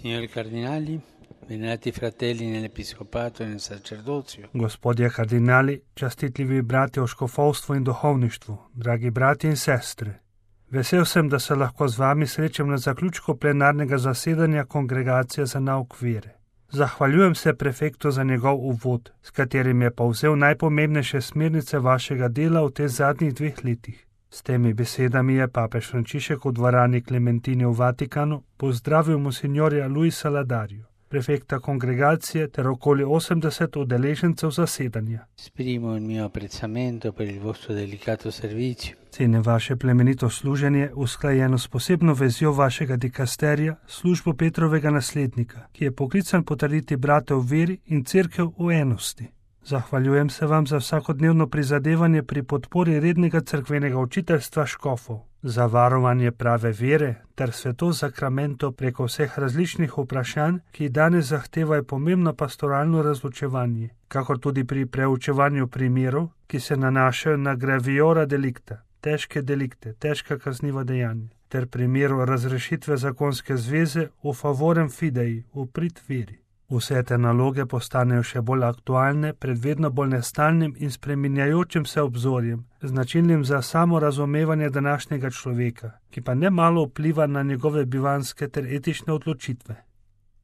Signori cardinali, venerati fratelli nell'episcopato e nel sacerdozio. Gospodje kardinali, častitljivi bratje v škofovstvu in duhovništvu, dragi bratje in sestre. Vesel sem, da se lahko z vami srečam na zaključku plenarnega zasedanja Kongregacije za nauk vere. Zahvaljujem se prefektu za njegov uvod, s katerim je povzel najpomembnejše smernice vašega dela v teh zadnjih 2 letih. S temi besedami je papež Frančišek v dvorani Klementini v Vatikanu pozdravil monsignorja Luisa Ladarju, prefekta kongregacije ter okoli 80 udeležencev zasedanja. Esprimo il mio apprezzamento per il vostro delicato servizio. Cenim vaše plemenito služenje, usklajeno s posebno vezjo vašega dikasterija, službo Petrovega naslednika, ki je poklican potrditi brate v veri in cerkev v enosti. Zahvaljujem se vam za vsakodnevno prizadevanje pri podpori rednega cerkvenega učiteljstva škofov, za varovanje prave vere ter sveto sakramento preko vseh različnih vprašanj, ki danes zahtevajo pomembno pastoralno razločevanje, kakor tudi pri preučevanju primerov, ki se nanašajo na graviora delikta, težke delikte, težka kazniva dejanja, ter primeru razrešitve zakonske zveze v favorem fidei, v prid veri. Vse te naloge postanejo še bolj aktualne pred vedno bolj nestalnim in spreminjajočim se obzorjem, značilnim za samorazumevanje današnjega človeka, ki pa nemalo vpliva na njegove bivanske ter etične odločitve.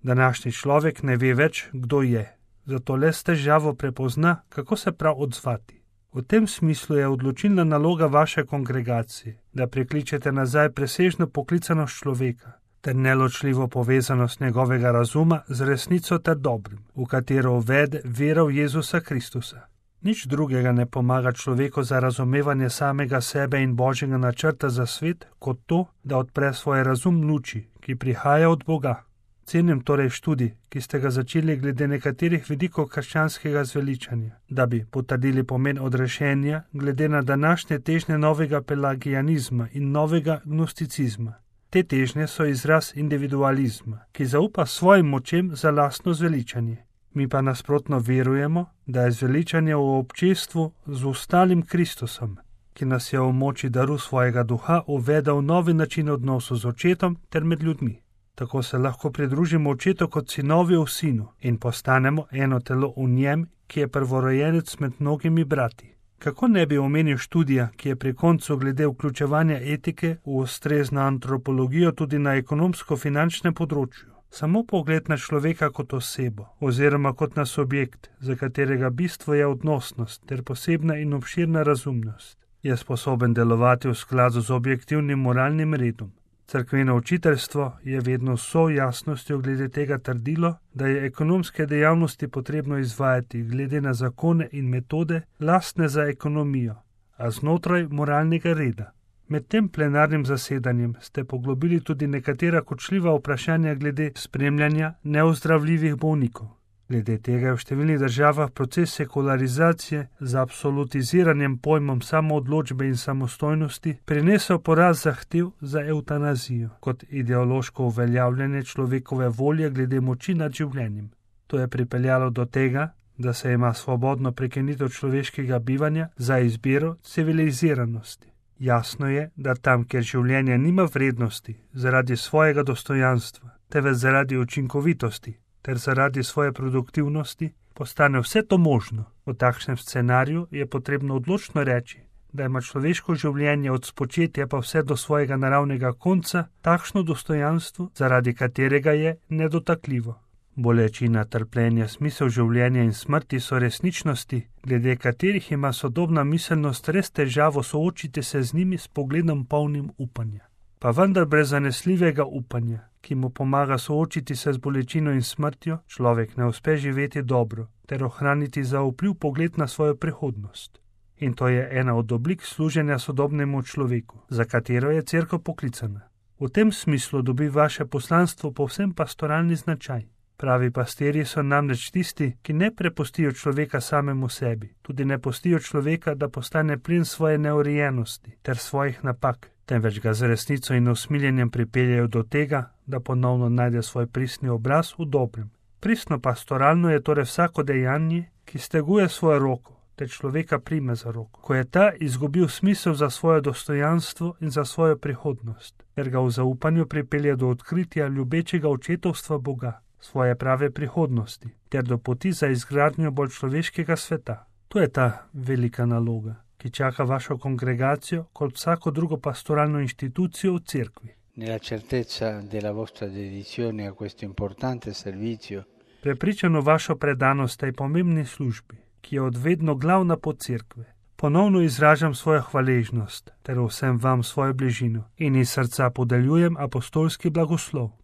Današnji človek ne ve več, kdo je, zato le s težavo prepozna, kako se prav odzvati. V tem smislu je odločilna naloga vaše kongregacije, da prikličete nazaj presežno poklicanost človeka, ter neločljivo povezanost njegovega razuma z resnico ter dobrim, v katero uvede vera v Jezusa Kristusa. Nič drugega ne pomaga človeku za razumevanje samega sebe in Božjega načrta za svet, kot to, da odpre svoj razum luči, ki prihaja od Boga. Cenim torej študij, ki ste ga začeli glede nekaterih vidikov krščanskega zveličanja, da bi potrdili pomen odrešenja glede na današnje težnje novega pelagijanizma in novega gnosticizma. Te težnje so izraz individualizma, ki zaupa svojim močem za lastno zveličanje. Mi pa nasprotno verujemo, da je zveličanje v občestvu z ostalim Kristusom, ki nas je v moči daru svojega duha uvedel novi način odnosov z očetom ter med ljudmi. Tako se lahko pridružimo očetu kot sinovi v sinu in postanemo eno telo v njem, ki je prvorojenec med mnogimi brati. Kako ne bi omenil študija, ki je pri koncu glede vključevanja etike v ustrezno antropologijo tudi na ekonomsko-finančnem področju. Samo pogled na človeka kot osebo oziroma kot na subjekt, za katerega bistvo je odnosnost ter posebna in obširna razumnost, je sposoben delovati v skladu z objektivnim moralnim redom. Cerkveno učiteljstvo je vedno s jasnostjo glede tega trdilo, da je ekonomske dejavnosti potrebno izvajati glede na zakone in metode lastne za ekonomijo, a znotraj moralnega reda. Med tem plenarnim zasedanjem ste poglobili tudi nekatera kočljiva vprašanja glede spremljanja neozdravljivih bolnikov. Glede tega je v številnih državah proces sekularizacije z absolutiziranjem pojmom samoodločbe in samostojnosti prinesel porast zahtev za evtanazijo kot ideološko uveljavljanje človekove volje glede moči nad življenjem. To je pripeljalo do tega, da se ima svobodno prekinitev človeškega bivanja za izbiro civiliziranosti. Jasno je, da tam, kjer življenje nima vrednosti zaradi svojega dostojanstva, temveč zaradi učinkovitosti, ter zaradi svoje produktivnosti, postane vse to možno. V takšnem scenariju je potrebno odločno reči, da ima človeško življenje od spočetja pa vse do svojega naravnega konca takšno dostojanstvo, zaradi katerega je nedotakljivo. Bolečina, trpljenje, smisel življenja in smrti so resničnosti, glede katerih ima sodobna miselnost res težavo soočiti se z njimi s pogledom polnim upanja. Pa vendar brez zanesljivega upanja, ki mu pomaga soočiti se z bolečino in smrtjo, človek ne uspe živeti dobro ter ohraniti zaupljiv pogled na svojo prihodnost. In to je ena od oblik služenja sodobnemu človeku, za katero je cerkev poklicana. V tem smislu dobi vaše poslanstvo povsem pastoralni značaj. Pravi pastirji so namreč tisti, ki ne prepustijo človeka samemu sebi, tudi ne pustijo človeka, da postane plen svoje neurejenosti ter svojih napak, temveč ga z resnico in usmiljenjem pripeljejo do tega, da ponovno najde svoj pristni obraz v dobrem. Pristno pastoralno je torej vsako dejanje, ki steguje svojo roko te človeka prime za roko, ko je ta izgubil smisel za svoje dostojanstvo in za svojo prihodnost, ter ga v zaupanju pripelje do odkritja ljubečega očetovstva Boga, svoje prave prihodnosti, ter do poti za izgradnjo bolj človeškega sveta. To je ta velika naloga, ki čaka vašo kongregacijo kot vsako drugo pastoralno inštitucijo v cerkvi. Nella certezza della vostra dedizione a questo importante servizio, Prepričano vašo predanost tej pomembni službi, ki je odvedno glavna pot cerkve, ponovno izražam svojo hvaležnost ter vsem vam svojo bližino in iz srca podeljujem apostolski blagoslov.